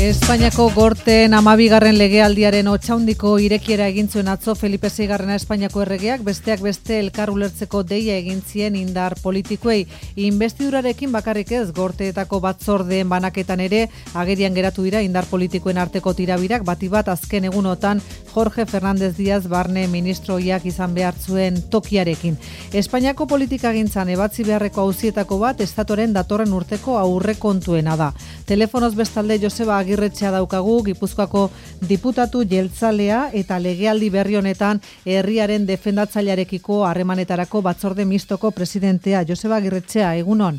Espainiako gorteen 12. legealdiaren otsaundiko irekiera egin zuen atzo Felipe VI Espainiako erregeak, besteak beste elkar ulertzeko deia egin zien indar politikoei. Inbestidurarekin bakarrik ez, gorteetako batzordeen banaketan ere agerian geratu dira indar politikoen arteko tirabirak, bati bat azken egunotan Jorge Fernández Díaz barne ministroiak izan behar zuen tokiarekin. Espainiako politikagintzan ebatzi beharreko auzietako bat estatoren datorren urteko aurrekontuena da. Telefonoz bestalde Joseba Agirretxea daukagu, Gipuzkoako diputatu jeltzalea eta legealdi berri honetan herriaren defendatzailearekiko harremanetarako batzorde mistoko presidentea. Joseba Agirretxea, egunon.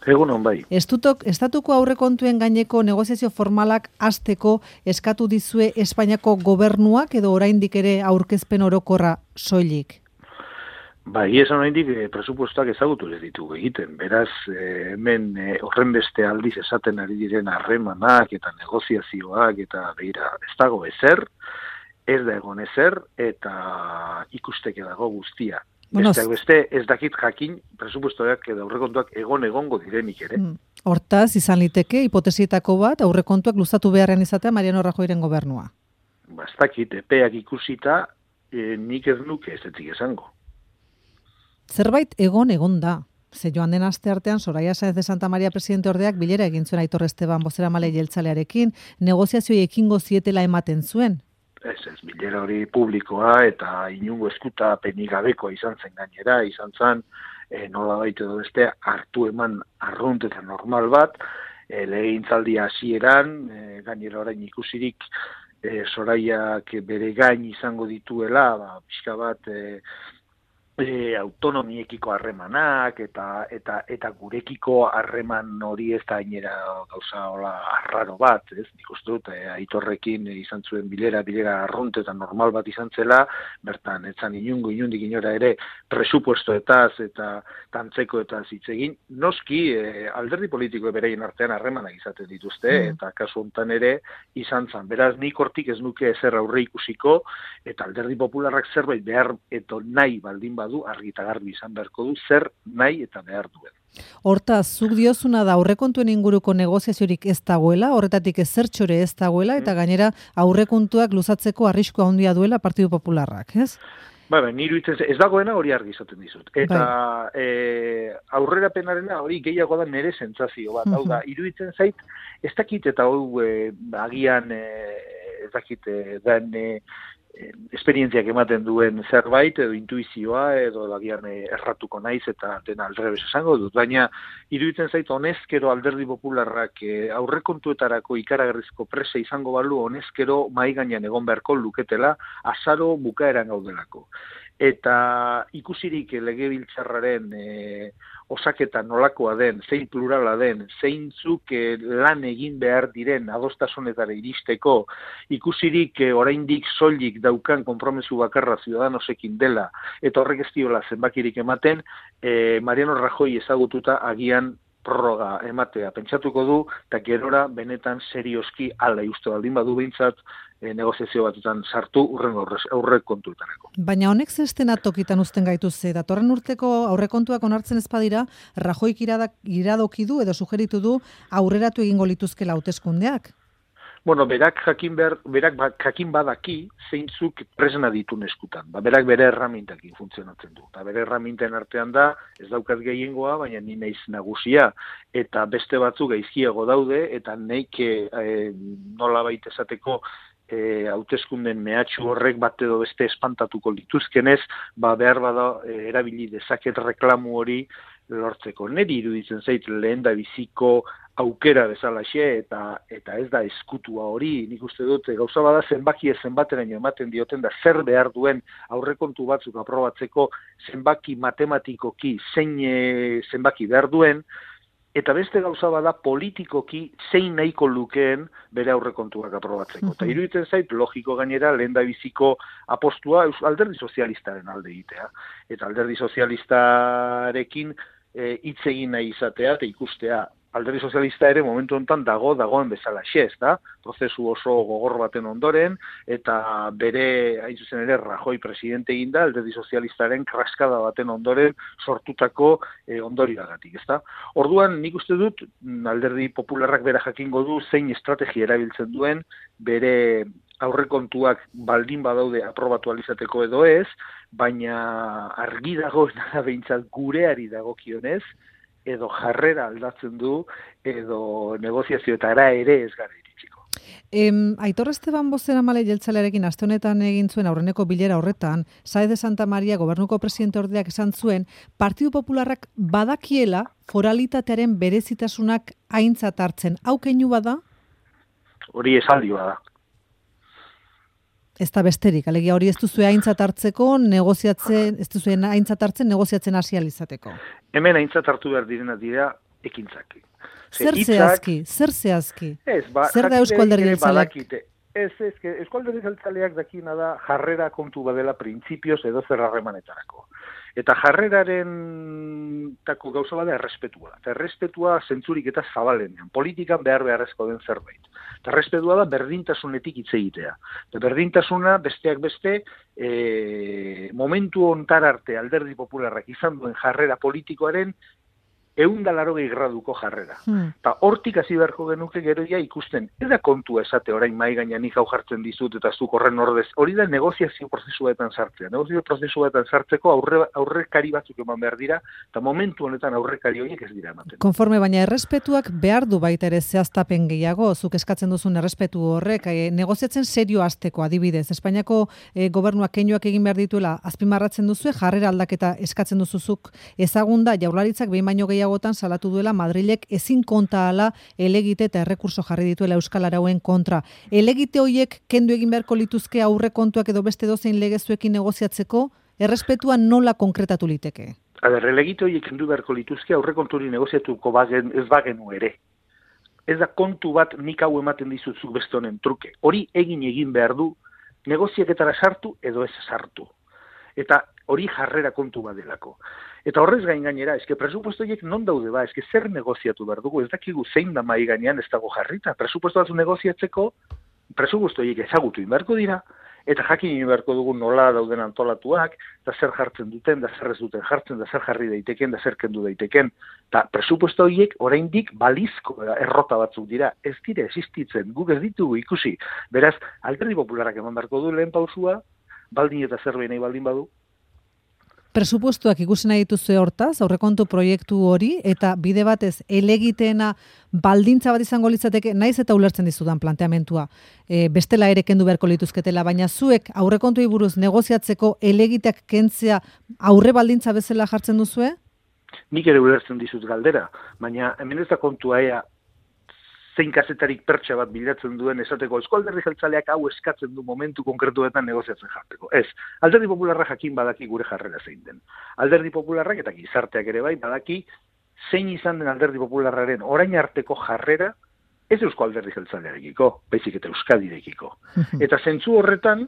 Egunon, bai. Estatuko aurrekontuen gaineko negoziazio formalak hasteko eskatu dizue Espainiako gobernuak edo oraindik ere aurkezpen orokorra soilik? Bai, esan oraindik presupuestoak ezagutu ez ditugu egiten. Beraz, hemen horren beste aldiz esaten ari diren harremanak eta negoziazioak eta begira, ez dago ezer, ez da egon ezer eta ikusteke dago guztia. Beste ez dakit jakin presupuestoak edo aurrekontuak egongo direnik ere. Hortaz, izan liteke hipotesietako bat aurrekontuak luzatu beharrean izatea Mariano Rajoyren gobernua. Ez dakit, epeak ikusita nik ez nuke ez etzik esango. Zerbait egon da. Ze joan den aste artean Soraya Sáenz de Santa María presidente ordeak bilera egin zuen Aitor Esteban bozeramale jeltzalearekin, negoziazioei ekingo zietela ematen zuen. Ez, bilera hori publikoa eta inungo eskutapenik gabekoa izan zen gainera, izan zen nolabait edo beste hartu eman arrunt eta normal bat, legegintzaldia hasieran, gainera orain ikusirik Soraiak bere gain izango dituela, pixka bat autonomiekiko harremanak eta gurekiko harreman hori ez da gainera gauza hola arraro bat, ez? Nik uste dut Aitorrekin izan zuen bilera arrunt eta normal bat izan zela, bertan etzan inundik inora ere presupuestoetaz eta tantzekoetaz hitz egin. Noski alderdi politiko bereien artean harremanak izaten dituzte eta kasu hontan ere izan zen. Beraz nik hortik ez nuke ezer aurre ikusiko eta alderdi popularrak zerbait behar eta nahi baldin badu argi eta garbi izan beharko du zer nahi eta behar duen. Hortaz, zuk diozuna da aurrekontuen inguruko negoziaziorik ez dagoela, horretatik ezertxore ez dagoela, eta gainera aurrekontuak luzatzeko arriskua handia duela Partidu Popularrak, ez? Nire ez dagoena hori argi izaten dizut. Eta aurrerapenarena hori gehiago da nire sentsazio bat. Hau da, iruditzen zait, ez dakit eta hau agian ez dakit den esperientziak ematen duen zerbait edo intuizioa edo agian erratuko naiz eta dena aldrebes esango dut, baina iruditzen zait honezkero alderdi popularrak aurrekontuetarako ikaragarrizko presa izango balu honezkero mahai gainean egon beharko luketela azaro bukaeran gaudelako. Eta ikusirik legebiltzarraren osaketa nolakoa den, zein plurala den, zeintzuk lan egin behar diren adostasunetara iristeko, ikusirik oraindik soilik daukan konpromesu bakarra Ciudadanosekin dela, eta horrek ez diola zenbakirik ematen, Mariano Rajoy ezagututa agian prorroga ematea pentsatuko du, eta gerora benetan serioski ala uste baldin badu behintzat negoziazio batetan sartu aurrekontuetarako. Baina honek zestena tokitan uzten gaitu ze, datorren urteko aurrekontuak onartzen ez badira, Rajoyk iradoki du edo sugeritu du aurreratu egingo lituzkela hauteskundeak. Berak jakin badaki zeintzuk presna ditun eskutan. Berak bere erramintakin funtzionatzen du. Bere erraminten artean da, ez daukat gehiengoa, baina ni naiz nagusia. Eta beste batzuk gaizkiago daude, eta neik nolabait esateko hauteskunden mehatxu horrek bat edo beste espantatuko lituzkenez, behar bada erabili dezaket reklamu hori lortzeko. Neri iruditzen zait lehen da biziko aukera bezalaxe eta ez da eskutua hori, nik uste dut gauza bada zenbateraino ematen dioten da zer behar duen aurrekontu batzuk aprobatzeko zenbaki matematikoki zein zenbaki behar duen, eta beste gauza bada politikoki zein nahiko lukeen bere aurrekontuak aprobatzeko. Eta iruditzen zait logiko gainera lehendabiziko apostua alderdi sozialistaren alde egitea. Eta alderdi sozialistarekin hitz egin nahi izatea eta ikustea Alderdi Sozialista ere momentu honetan dagoen bezala ez da, prozesu oso gogor baten ondoren, eta bere, hain zuzen ere, Rajoy presidente eginda, Alderdi Sozialistaren kraskada baten ondoren sortutako ondorioagatik, ez da. Orduan, nik uste dut, Alderdi Popularrak bera jakingo du zein estrategia erabiltzen duen, bere aurrekontuak baldin badaude aprobatu alizateko edo ez, baina argi dagoena da behintzat gureari dagokionez, edo jarrera aldatzen du, edo negoziazioetara ere ez gara iritsiko. Aitor Esteban Bozeramale jeltzalearekin aste honetan egin zuen aurreneko bilera horretan, Saez de Santa Maria gobernuko presidente ordeak esan zuen, Partidu Popularrak badakiela foralitatearen berezitasunak aintzat hartzen. Hau keinu bada? Hori esaldi bada. Ez da besterik, alegia hori ez duzue aintzat hartzeko, ez duzue aintzat hartzen negoziatzen hasi alizateko. Hemen aintzat hartu behar direnak dira ekintzak. Zer zehazki? Zer da Eusko Alderdi Jeltzaleak? Eusko Alderdi Jeltzaleak dakina da jarrera kontu badela printzipioz edo zer harremanetarako. Eta jarreraren tako gauza bada errespetua. Eta errespetua zentzurik eta zabalenean. Politikan beharrezko den zerbait. Eta errespetua da berdintasunetik hitz egitea. Eta berdintasuna besteak beste momentu hontar arte Alderdi Popularrak izan duen jarrera politikoaren 180 graduko jarrera. Eta hortik hasi beharko genuke gero ja ikusten. Ez da kontua esate orain mai gainean nik hau jartzen dizut eta zuk horren ordez. Hori da negoziazio prozesuetan sartzea. Negoziazio prozesuetan sartzeko aurrekari batzuk eman behar dira, eta momentu honetan aurrekari horiek ez dira ematen. Konforme baina errespetuak behar du baita ere zehaztapen gehiago, zuk eskatzen duzun errespetu horrek, negoziatzen serio hasteko adibidez. Espainiako gobernuak keinuak egin behar dituela azpimarratzen duzu, jarrera aldaketa eskatzen duzuzuk ezagunda Jaurlaritzak behin baino gehiagotan salatu duela Madrilek ezin konta ala elegite eta errekurso jarri dituela Euskal Arauen kontra. Elegite horiek kendu egin beharko lituzke aurrekontuak edo beste dozein legezuekin negoziatzeko, errespetua nola konkretatu liteke? Elegite horiek kendu beharko lituzke aurrekonturi negoziatuko ez bagenu ere. Ez da kontu bat nik hau ematen dizutzuk beste honen truke. Hori egin behar du negoziaketara sartu edo ez sartu. Eta hori jarrera kontu badelako. Eta horrez gainera, presupuesto horiek non daude ba, zer negoziatu behar dugu, ez dakigu zein da mai gainean ez dago jarrita. Presupuesto batzu negoziatzeko, presupuesto horiek ezagutu inberko dira, eta jakin inberko dugu nola dauden antolatuak, da zer jartzen duten, da zer ez duten jartzen, da zer jarri daiteken, da zer kendu daiteken. Eta presupuesto horiek oraindik balizko errota batzuk dira, ez dire existitzen, guk ez ditugu ikusi. Beraz, Alderdi Popularrak eman beharko du lehen pausua, baldin eta zerbait nahi baldin badu. Presupuestuak ikusi nahi dituzue hortaz, aurrekontu proiektu hori, eta bide batez elegiteena baldintza bat izango litzateke, naiz eta ulertzen dizudan planteamentua, bestela ere kendu beharko lituzketela, baina zuek aurrekontuei buruz negoziatzeko elegiteak kentzea aurre baldintza bezala jartzen duzue? Nik ere ulertzen dizut galdera, baina hemen ez da kontua zein kazetarik pertsa bat bilatzen duen esateko Eusko Alderdi Jeltzaleak hau eskatzen du momentu konkretuetan negoziatzen jarteko. Ez, Alderdi Popularra jakin badaki gure jarrera zein den. Alderdi Popularrak eta gizarteak ere bai badaki zein izan den Alderdi Popularraren orain arteko jarrera ez Eusko Alderdi Jeltzalearekiko, baizik eta Euskadirekiko. Eta zentzu horretan,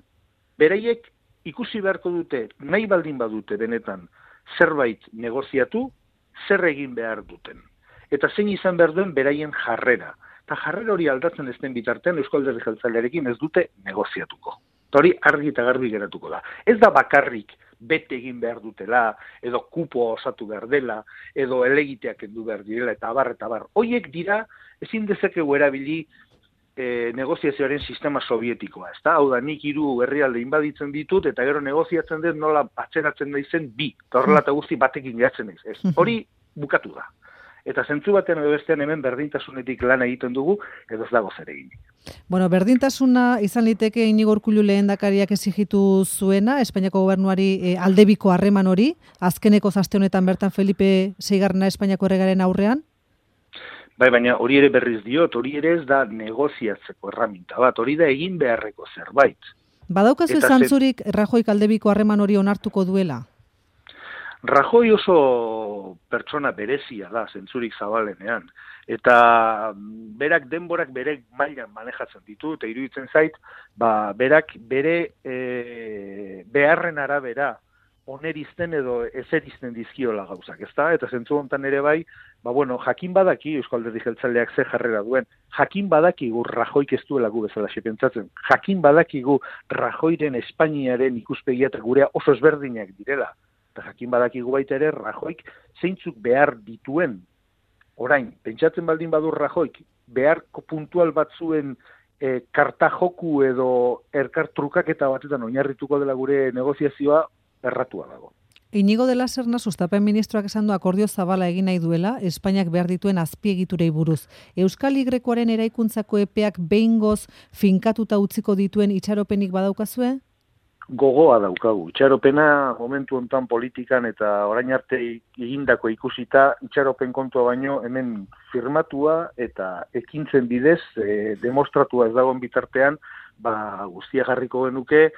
beraiek ikusi beharko dute, nahi baldin badute benetan zerbait negoziatu, zer egin behar duten. Eta zein izan behar duen beraien jarrera. Eta jarrera hori aldatzen ez den bitartean Eusko Alderdi Jeltzalearekin ez dute negoziatuko. Eta hori argi eta garbi geratuko da. Ez da bakarrik bete egin behar dutela, edo kupoa osatu behar dela, edo elegiteak kendu behar direla, eta abar. Hoiek dira, ezin dezakegu erabili negoziazioaren sistema sovietikoa. Hau da, nik 3 herrialde inbaditzen ditut, eta gero negoziatzen dut nola atzeratzen daizen 2. Eta horrela eta guzti batekin geratzen ez. Hori bukatu da. Eta zentzu batean edo bestean hemen berdintasunetik lan egiten dugu, edo ez dago zer egin. Bueno, berdintasuna izan liteke Inigo Urkullu lehendakariak exigitu zuena, Espainiako gobernuari aldebiko harreman hori, azkeneko aste honetan bertan Felipe VI Espainiako erregearen aurrean? Bai, baina hori ere berriz diot, hori ere ez da negoziatzeko erraminta bat, hori da egin beharreko zerbait. Badaukazu zantzurik Rajoyk aldebiko harreman hori onartuko duela? Rajoy oso pertsona berezia da, zentzurik zabalenean. Eta berak denborak bere mailan manejatzen ditu, eta iruditzen zait, berak bere beharren arabera onerizten edo ezerizten dizkiola gauzak, ezta? Eta zentzu hontan ere bai, jakin badaki Eusko Alderdi Jeltzaleak ze jarrera duen, jakin badakigu Rajoik ez duela gu bezala pentsatzen, jakin badakigu Rajoiren Espainiaren ikuspegia eta gurea oso ezberdinak direla, eta jakin badakigu baita ere Rajoik zeintzuk behar dituen, orain, pentsatzen baldin badur Rajoik, beharko puntual batzuen karta joku edo erkartrukaketa batetan oinarrituko dela gure negoziazioa erratua dago. Inigo de la Serna sustapen ministroak esan du akordio zabala egin nahi duela Espainiak behar dituen azpiegiturei buruz. Euskal Y-aren eraikuntzako epeak behingoz finkatuta utziko dituen itxaropenik badaukazue? Gogoa daukagu. Itxaropena momentu hontan politikan eta orain arte egindako ikusita itxaropen kontua baino hemen firmatua eta ekintzen bidez demostratua ez dagoen bitartean guztia jarriko genuke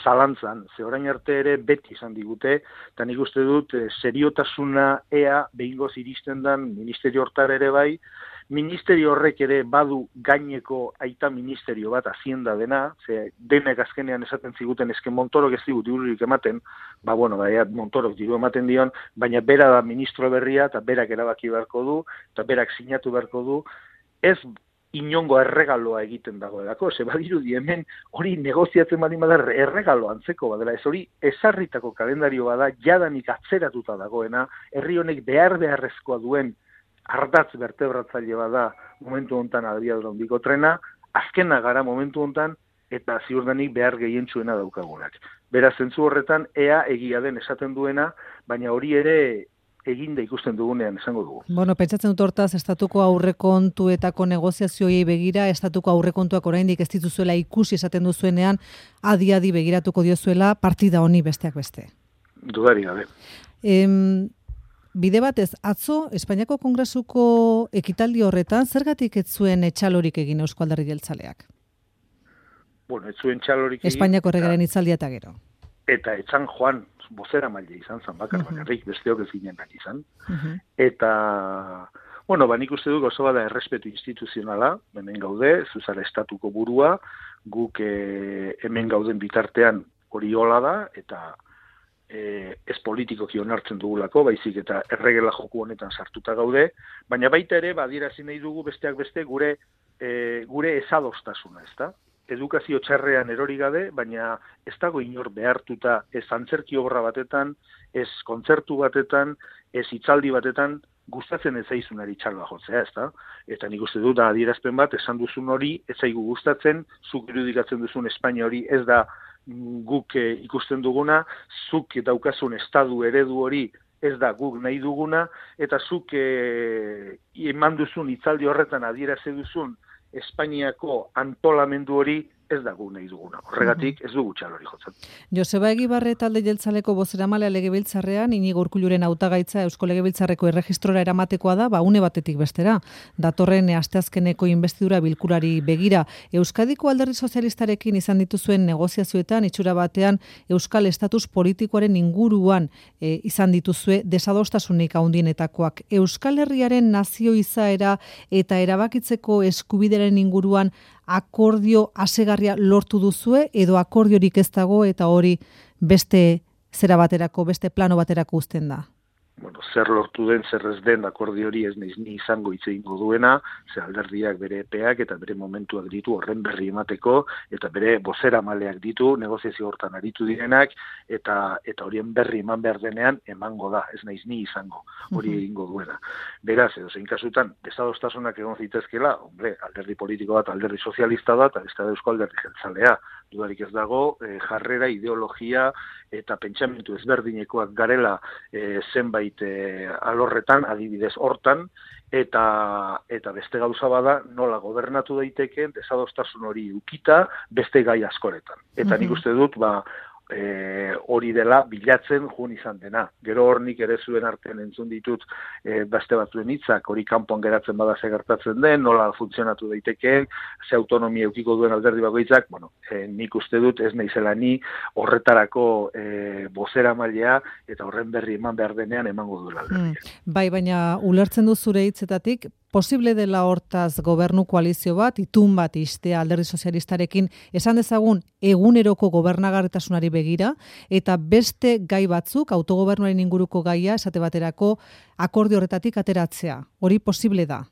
zalantzan, ze orain arte ere beti izan digute, eta nik uste dut seriotasuna ea behingoz iristen dan ministerio hortar ere bai, ministerio horrek ere badu gaineko aita ministerio bat hazienda dena, ze denek azkenean esaten ziguten eske Montorok ez digut dirurik ematen, Montorok diru ematen dion, baina bera da ministro berria eta berak erabaki beharko du, eta berak sinatu beharko du, ez inongo erregaloa egiten dagoelako, ze badirudi hemen hori negoziatzen baldin bada erregalo antzeko badela, ez hori ezarritako kalendario bada jadanik atzeratuta dagoena, herri honek beharrezkoa duen ardatz vertebratzaile bada momentu hontan abiadura handiko trena, azkena gara momentu hontan eta ziurdanik behar gehientsuena daukagunak. Beraz, zentzu horretan ea egia den esaten duena, baina hori ere eginda ikusten dugunean esango dugu. Pentsatzen dut hortaz, estatuko aurrekontuetako negoziazioei begira, estatuko aurrekontuak oraindik ez dituzuela ikusi esaten duzuenean, adi begiratuko diozuela partida honi besteak beste. Dudari gabe. Bide batez, atzo, Espainiako Kongresuko ekitaldi horretan, zergatik ez zuen txalorik egin Eusko Alderdi Jeltzaleak? Ez zuen txalorik egin. Espainiako erregearen hitzaldia eta gero. Eta etzan joan, bozera maile izan zan bakarrik, besteok ez ginen izan. Eta, nik uste dut oso bada errespetu instituzionala, hemen gaude, zuzara estatuko burua, guk hemen gauden bitartean hori hola da, eta ez politikoki onartzen dugulako, baizik eta erregela joku honetan sartuta gaude, baina baita ere, adierazi nahi dugu besteak beste gure ezadostasuna, ezta? Edukazio txarrean erori gabe, baina ez dago inor behartuta ez antzerki obra batetan, ez kontzertu batetan, ez hitzaldi batetan, gustatzen ez zaizunari txaloa jotzea, ezta? Eta nik uste dut adierazpen bat, esan duzun hori, ez zaigu gustatzen, zuk irudikatzen duzun Espainia hori ez da guk ikusten duguna, zuk daukazun estadu eredu hori ez da guk nahi duguna, eta zuk eman duzun hitzaldi horretan adierazi duzun Espainiako antolamendu hori ez da gu nahi duguna. Horregatik ez dugu txalori jotzen. Joseba Egibarre talde jeltzaleko bozeramalea Legebiltzarrean, Inigo Urkulluren hautagaitza Eusko Legebiltzarreko erregistrora eramatekoa da, une batetik bestera. Datorren asteazkeneko inbestidura bilkurari begira. Euskadiko Alderdi Sozialistarekin izan dituzuen negoziazioetan, itxura batean Euskal estatus politikoaren inguruan izan dituzue desadostasunik handienetakoak. Euskal Herriaren nazio izaera eta erabakitzeko eskubideren inguruan akordio asegarria lortu duzue edo akordiorik ez dago eta hori beste zera baterako, beste plano baterako uzten da? Zer lortu den, zer ez den akordio hori ez naiz ni izango hitz egingo duena, ze alderdiak bere epeak eta bere momentuak ditu horren berri emateko, eta bere bozeramaleak ditu, negoziazio hortan aritu direnak, eta horien berri eman behar denean emango da, ez naiz ni izango hori egingo duena. Beraz, edozein kasutan, desadostasunak egon zitezkela, alderdi politiko bat, alderdi sozialista da, eta beste da Eusko Alderdi Jeltzalea, dudarik ez dago, jarrera, ideologia eta pentsamentu ezberdinekoak garela zenbait alorretan, adibidez hortan, eta beste gauza bada nola gobernatu daitekeen desadostasun hori ukita beste gai askoretan. Eta nik uste dut, hori dela bilatzen joan izan dena. Gero hornik ere zuen artean entzun ditut beste batzuen hitzak, hori kanpoan geratzen bada ze gertatzen den, nola funtzionatu daitekeen, ze autonomia eukiko duen alderdi bakoitzak, nik uste dut ez naizela ni horretarako bozeramailea eta horren berri eman behar denean emango duela alderdia. Bai, baina ulertzen du zure hitzetatik, posible dela hortaz gobernu koalizio bat, itun bat istea Alderdi Sozialistarekin, esan dezagun eguneroko gobernagarritasunari begira, eta beste gai batzuk, autogobernuaren inguruko gaia, esate baterako, akordio horretatik ateratzea. Hori posible da?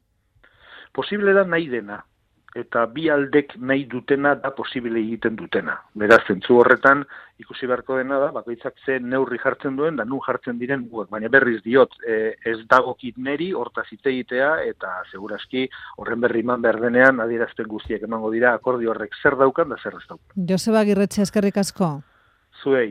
Posible da nahi dena. Eta bi aldek nahi dutena da posible egiten dutena. Beraz, zentzu horretan, ikusi beharko dena da, bakoitzak ze neurri jartzen duen, da nun jartzen diren guak. Baina berriz diot, ez dagokit neri, hortaz hitz egitea, eta seguraski horren berri eman behar denean, adierazten guztiak emango dira, akordio horrek zer daukan da zer ez daukan. Joseba Agirretxe, eskerrik asko. Zuei.